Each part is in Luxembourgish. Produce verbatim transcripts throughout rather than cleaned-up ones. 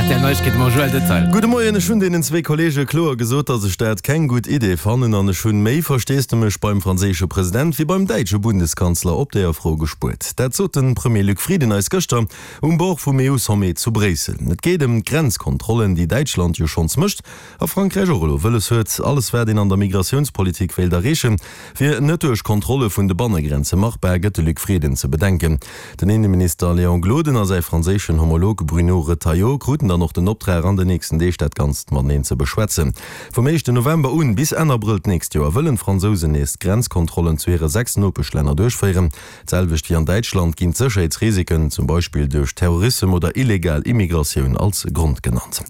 R T L Neiegkeete mam Joël Detail. Gudde Moien, ech hunn deenen zwee Kolleege kloer gesot, datt ech dat keng gutt Idee fannen an ech hunn méi Versteesdemech beim franséische President wéi beim däitsche Bundeskanzler op deeër Fro gespuert. Dat sot de Premier Luc Frieden eis gëschter um Bord vum E U-Sommet zu Bréissel. Et geet ëm d'Grenzkontrollen, déi Däitschland jo schonns mécht a Frankräich och elo wëlles huet. Alles wat een an der Migratiounspolitik wéilt erreechen, wier net duerch Kontrolle vun de Bannegrenze machbar, gëtt de Luc Frieden ze bedenken. Den Inneminister Léon Gloden a säi franséischen Homolog Bruno Retailleau kruten dann och den Optrag, an den nächsten Deeg dat Ganzt mateneen ze beschwätzen. Vum éischten November un bis Enn Abrëll d'nächst Joer wëllen d'Fransousen nees d'Grenzkontrollen zu hire sechs Nopeschlänner duerchféieren. D'selwecht wéi an Däitschland ginn d'Sécherheetsrisiken, zum Beispill duerch Terrorissem oder illegal Immigratioun, als Grond genannt.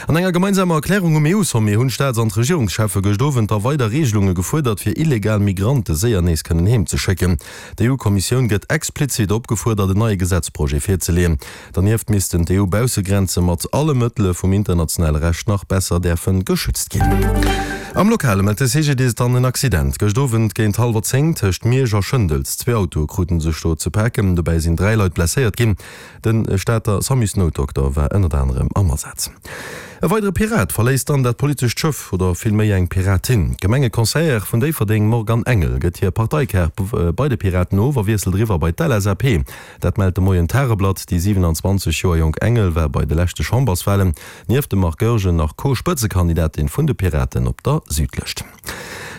An enger gemeinsamer Erklärung um E U-Sommet hunn d'Staats an d'Regierungscheffe gëscht Owend da weider Reegelunge gefuerdert, fir illegal Migrante séier nees kënnen heem ze schécken. D'E U-Kommissioun gëtt explizit opgefuerdert, en neie Gesetzprojet virzeleeën. Dernieft missten d'E U-Baussegrenze mat alle Mëttele vum internationale Recht nach besser däerfe geschützt ginn. Am Lokale mellt de C G D I S dann en Accident gëscht Owend géint hallwer zéng tëscht Miersch a Schëndels. Zwee Autoe krute sech do ze paken, dobäi sinn dräi Leit blesséiert ginn. De Stater Samusnoutdokter war ënnert anerem am Asaz. E weidere Pirat verléisst dann dat politescht Schëff, oder vill méi eng Piratin. D'Gemengeconseillère vun Déifferdeng Morgane Engel gëtt hir Parteikaart bei de Piraten of a wiesselt eriwwer bei d'L S A P. Dat mellt de Moien d'Tageblatt. Déi siwenanzwanzeg Joer jonk Engel war bei de leschte Chamberswalen nieft dem Marc Goergen nach Co-Spëtzekandidatin vun de Piraten op der Südlëscht.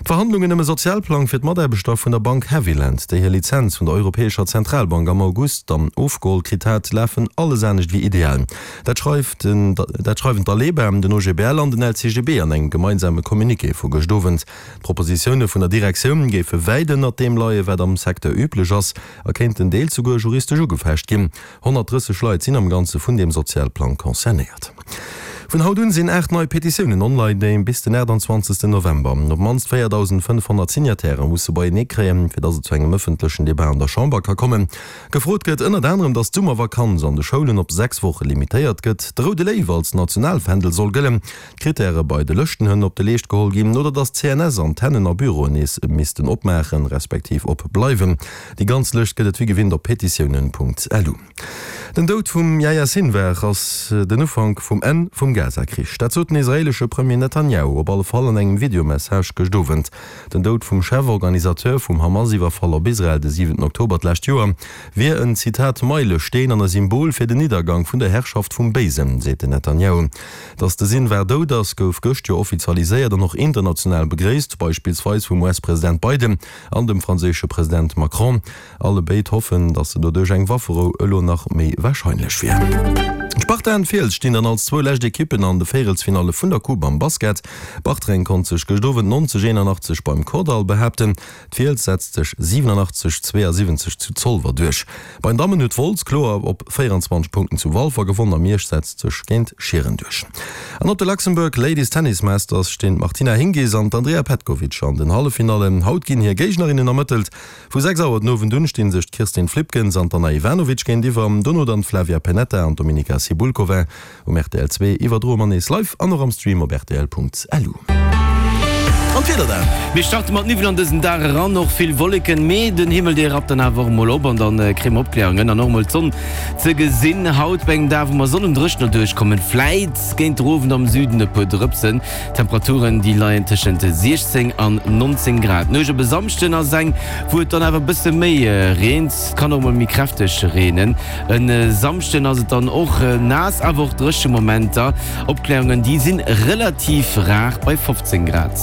D'Verhandlungen ëm e Sozialplang fir d'Mataarbechter vun der Bank Havilland, déi hir Lizenz vun der Europäescher Zentralbank am August dann ofgeholl kritt hat, lafen alles anescht wéi ideal. Dat schreift den, dat schreiwen d'Aleba, den O G B L an den L C G B an engem gemeinsame Communiqué vu gëscht Owend. D'Propositioune vun der Direktioun géife wäit ënnert deem leien, wat am Secteur üblech ass, a kéinten deels souguer juristesch ugefecht ginn. honnertdrësseg Leit sinn am Ganze vun deem Sozialplang concernéiert. Vun haut un sinn aacht nei Petitiounen online, déi bis den aachtanzwanzegsten November op d'mannst véierdausendfënnefhonnert Signatairë musse beienee kréien, fir datt et zu engem ëffentlechen Debat an der Chamber ka kommen. Gefrot gëtt ënnert anerem, datt d'Summervakanz an de Schoulen op sechs Woche limitéiert gëtt, de Roude Léiw als Nationalfändel soll gëllen, d'Krittäre bei de Lëschtenhënn op de Leescht geholl ginn oder datt d'C N S-Antennen a Büroen nees missten opmaachen, respektiv opbleiwen. Déi ganz Lëscht gëtt et wéi gewinnt op petitiounen Punkt lu. Den Doud vum Yahya Sinwar ass den Ufank vum Enn vum Gaza-Krich. Dat sot den israeelesche Premier Netanyahu op alle Fall an engem Videomessage gëscht Owend. Den Doud vum Cheforganisateur vum Hamas-Iwwerfall op Israel de siwenten Oktober d'lescht Joer wier en, Zitat, Meilesteen an e Symbol fir den Niddergang vun der Herrschaft vum Béisen, seet den Netanyahu. Datt de Sinwar dout ass, gouf gëscht jo offizialiséiert an och international begréisst, beispillsweis vum U S-President Biden an dem franséische President Macron. Alle béid hoffen, datt se doduerch eng Wafferou elo nach méi warscheinlech wier. D'Sparta an d'Fiels stinn dann als zwou lescht Ekippen an de Véierelsfinalle vun der Coupe am Basket. Bartreng konnt sech gëscht Owend neunzeg eenanachtzeg beim Kordall behaapten. D'Fiels setzt sech siwenanachtzeg zweeasiwwenzeg zu Zolwer duerch. Bei den Dammen huet Wolz kloer op véierundzwanzeg Punkten zu Walfer gewonnen a Miersch setzt sech géint Schieren duerch. An op de Luxembourg Ladies Tennis Masters stinn d'Martina Hingis an d'Andrea Petkovic an den Halleffinallen. Haut ginn hir Géignerinnen ermëttelt. Vu sechs Auer den Owend un stinn sech d'Kirstin Flipkens an d'Anna Ivanovic géintiwwer, dono dann d'Flavia Pennetta an d'Dominika Cibulkova. Um R T L zwee iwwerdroe mer nees live an och am Stream op R T L Punkt L U. An d'Wieder dann? Mir starte mat Niwwel an dësen Dag eran, och vill Wolleken, mee den Himmel dee rappt dann awer och mol op an dann kréie mer Opkläerungen an och mol d'Sonn ze gesinn. Haut bei engem Dag wou mer sollen dréchener duerchkommen, vläit géint den Owend am Süden e puer Drëpsen. D'Temperaturen déi leien tëschent siechzéng an nonzéng Grad. D'Nuecht op e Samschden ass eng wou et dann awer e bësse méi reent, et kann och mol méi kräfteg reenen. E Samschden ass et dann och naass, awer och dréche Momenter. Opkläerungen déi sinn relativ rar bei fofzéng Grad.